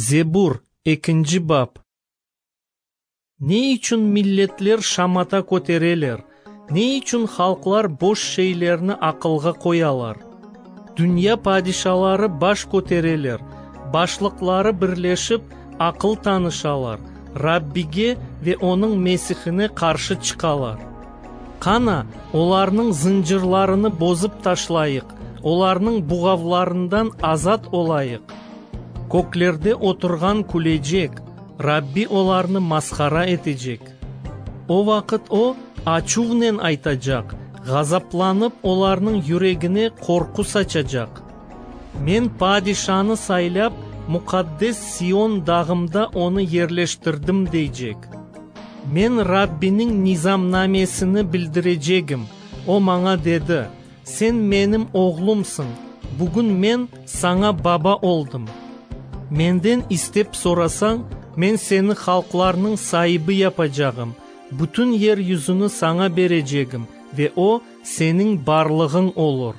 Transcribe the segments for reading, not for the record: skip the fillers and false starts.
Zebur, ekinci bap. Ne içün milletler şamata kötereler, ne içün halqlar boş şeylerni aqılğa qoyalar? Dünya padişaları baş kötereler, başlıqları birleşip, aqıl tanışalar, Rabbige ve Onıñ Mesihine qarşı çıqalar. Qana, olarnıñ zıncırlarını bozıp taşlayıq, olarnıñ buğavlarından azat olayıq! Köklerde oturğan külecek, Rabbi olarnı mashara etecek. O vaqıt O, açuvnen aytacaq, ğazaplanıp olarnıñ yüregine qorqu saçacaq. Men padişanı saylap, muqaddes Sion dağımda onı yerleştirdim, deycek. Men Rabbiniñ nizamnamesini bildirecegim, O maña dedi, Sen menim oğlumsıñ, bugün men saña baba oldım. Menden istep sorasañ, men seni halqlarnıñ saibi yapacağım, bütün yer yüzüni saña berecegim ve o, seniñ barlığıñ olur.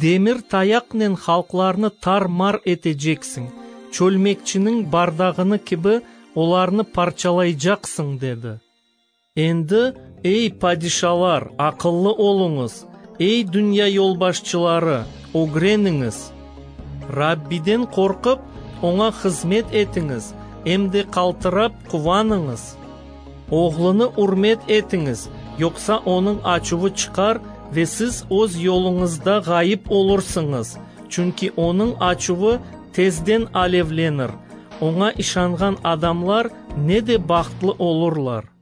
Demir tayaqnen halqlarnı tar-mar eteceksiñ, çölmekçiniñ bardağını kibi olarnı parçalaycaqsıñ, dedi. Endi, ey, padişalar, aqıllı oluñız, ey, dünya yolbaşçıları, ögreniñiz! Rabbiden qorqıp, Oña hızmet etiñiz, em de qaltırap quvanıñız. Oğlunı ürmet etiñiz, yoqsa onıñ açuvı çıqar ve siz öz yoluñızda ğayıp olursıñız, çünki onıñ açuvı tezden alevlenir. Oña işanğan adamlar ne de bahtlı olurlar!